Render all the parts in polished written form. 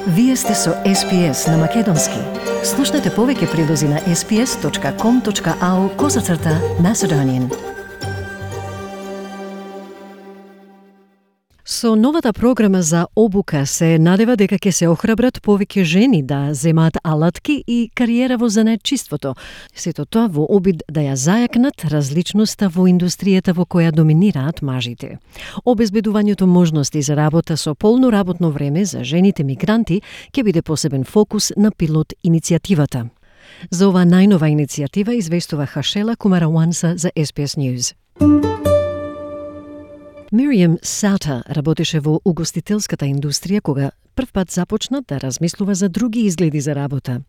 Вие сте со SPS на Македонски. Слушнете повеќе прилози на sps.com.au/Macedonian. Со новата програма за обука се надева дека ќе се охрабрат повеќе жени да земаат алатки и кариера во занаетчиството. Сето тоа во обид да ја зајакнат различноста во индустријата во која доминираат мажите. Обезбедувањето можности за работа со полно работно време за жените мигранти ќе биде посебен фокус на пилот иницијативата. За ова најнова иницијатива известува Хашела Кумараванса за SPS News. Мириам Саута работеше во угостителската индустрија кога првпат започна да размислува за други изгледи за работа.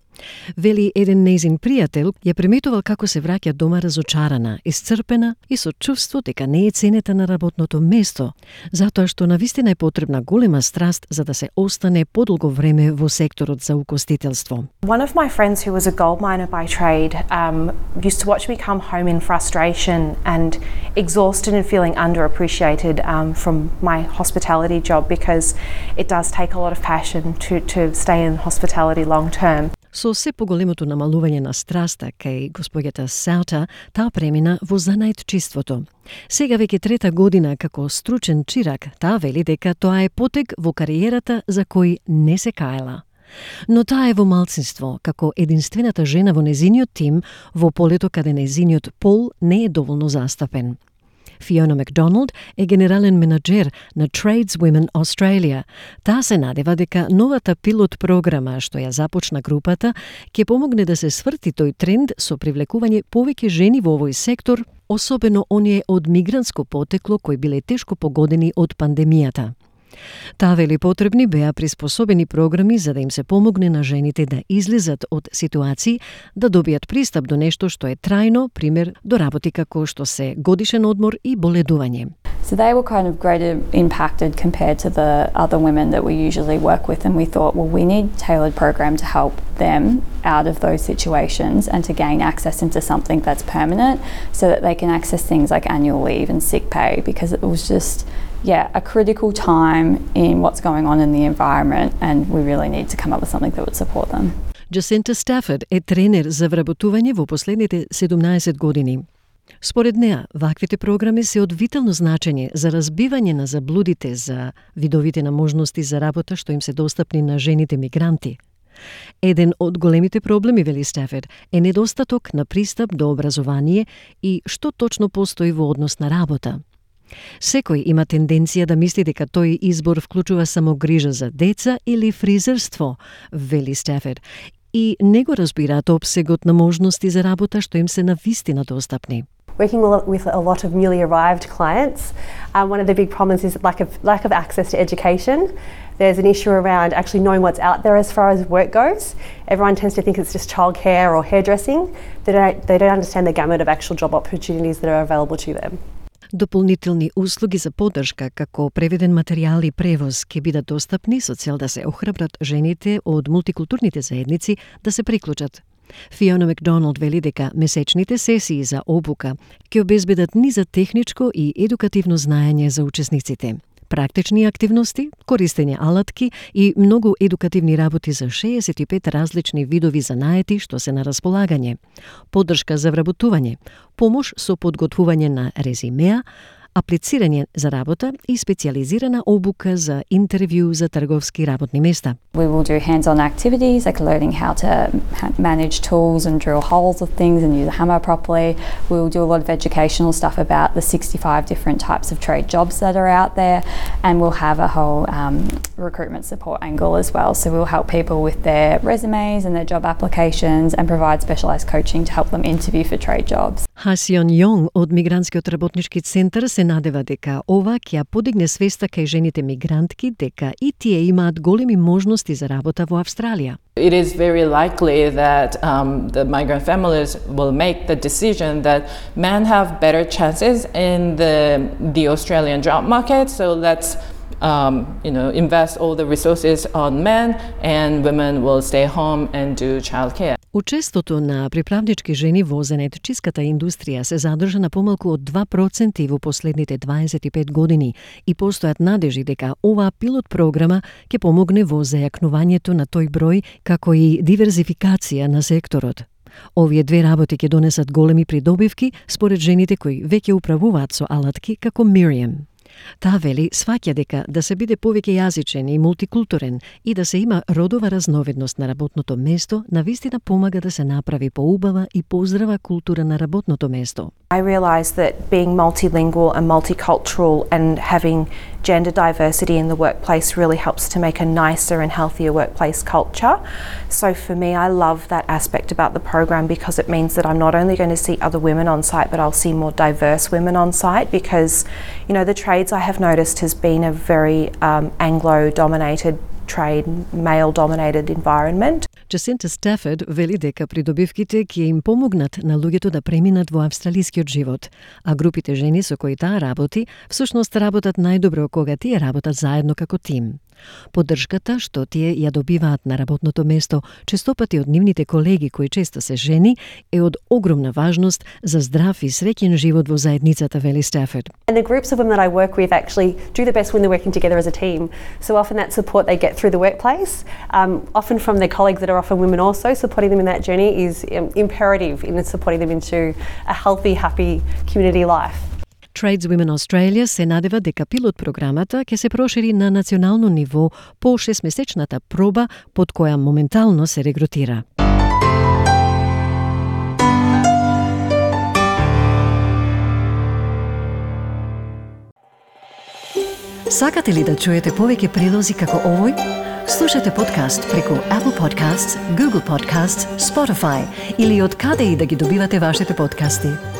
Вели еден нејзин пријател ја приметувал како се враќа дома разочарана, исцрпена и со чувство дека не е ценета на работното место, затоа што навистина е потребна голема страст за да се остане подолго време во секторот за угостителство. One of my friends who was a gold miner by trade used to watch me come home in frustration and exhausted and feeling underappreciated from my hospitality job because it does take a lot of passion to stay in hospitality long term. Со се поголемото намалување на страста кај господјата Саута, таа премина во занаетчиството. Сега веќе трета година како стручен чирак, таа вели дека тоа е потег во кариерата за кој не се каела. Но таа е во малцинство, како единствената жена во незиниот тим во полето каде незиниот пол не е доволно застапен. Фиона Макдоналд е генерален менаџер на Tradeswomen Australia. Таа се надева дека новата пилот програма што ја започна групата ќе помогне да се сврти тој тренд со привлекување повеќе жени во овој сектор, особено оние од мигрантско потекло кои биле тешко погодени од пандемијата. Таа вели потребни беа приспособени програми за да им се помогне на жените да излезат од ситуации, да добијат пристап до нешто што е трајно, пример до работи како што се годишен одмор и боледување. So they were kind of greater impacted compared to the other women that we usually work with, and we thought, well, we need a tailored program to help them out of those situations and to gain access into something that's permanent so that they can access things like annual leave and sick pay, because it was just a critical time in what's going on in the environment, and we really need to come up with something that would support them. Jacinta Stafford е тренер за вработување во последните 17 години. Според неа, ваквите програми се од витално значење за разбивање на заблудите за видовите на можности за работа што им се достапни на жените мигранти. Еден од големите проблеми, вели Стаферд, е недостаток на пристап до образование и што точно постои во однос на работа. Секој има тенденција да мисли дека тој избор вклучува само грижа за деца или фризерство, вели Стаферд, и не го разбираат опсегот на можности за работа што им се навистина достапни. Working with a lot of newly arrived clients, one of the big problems is lack of access to education. There's an issue around actually knowing what's out there as far as work goes. Everyone tends to think it's just childcare or hairdressing. They don't understand the gamut of actual job opportunities that are available to them. Дополнителни услуги за поддршка, како преведен материјал и превоз, ќе бидат достапни со цел да се охрабрат жените од мултикултурните заедници да се приклучат. Фиона Макдоналд вели дека месечните сесии за обука ќе обезбедат низа техничко и едукативно знаење за учесниците. Практични активности, користење алатки и многу едукативни работи за 65 различни видови занаети што се на располагање, поддршка за вработување, помош со подготвување на резимеа, аплицирање за работа и специјализирана обука за интервју за трговски работни места. We will do hands-on activities like learning how to manage tools and drill holes of things and use a hammer properly. We will do a lot of educational stuff about the 65 different types of trade jobs that are out there, and we'll have a whole recruitment support angle as well. So we'll help people with their resumes and their job applications and provide specialised coaching to help them interview for trade jobs. Хасион Јонг од Мигрантскиот работнички центар се надева дека ова ќе ја подигне свеста кај жените мигрантки дека и тие имаат големи можности за работа во Австралија. It is very likely that the migrant families will make the decision that men have better chances in the Australian job market, so let's invest all the resources on men, and women will stay home and do childcare. Учеството на приправнички жени во занаетчиската индустрија се задржа на помалку од 2% во последните 25 години и постојат надежи дека оваа пилот програма ќе помогне во зајакнувањето на тој број, како и диверзификација на секторот. Овие две работи ќе донесат големи придобивки според жените кои веќе управуваат со алатки како Miriam. Таа вели сваќа дека да се биде повеќе јазичен и мултикултурен и да се има родова разновидност на работното место навистина помага да се направи поубава и поздрава култура на работното место. I realised that being multilingual and multicultural and having gender diversity in the workplace really helps to make a nicer and healthier workplace culture. So for me, I love that aspect about the program because it means that I'm not only going to see other women on site, but I'll see more diverse women on site because, you know, the trades I have noticed has been a very Anglo-dominated trade, male-dominated environment. Джасинта Стафорд вели дека придобивките ќе им помогнат на луѓето да преминат во австралискиот живот, а групите жени со кои таа работи всушност работат најдобро кога тие работат заедно како тим. Поддршката што тие ја добиваат на работното место, честопати од нивните колеги кои често се жени, е од огромна важност за здрав и среќен живот во заедницата, вели Стафорд. And the groups of women that I work with actually do the best when they're working together as a team. So often that support they get through the workplace, often from their colleagues that are often women also, supporting them in that journey is imperative in supporting them into a healthy, happy community life. Tradeswomen Australia се надева дека пилот програмата ќе се прошири на национално ниво по 6-месечната проба под која моментално се регрутира. Сакате ли да чуете повеќе прилози како овој? Слушате подкаст преку Apple Podcasts, Google Podcasts, Spotify или од каде и да ги добивате вашите подкасти.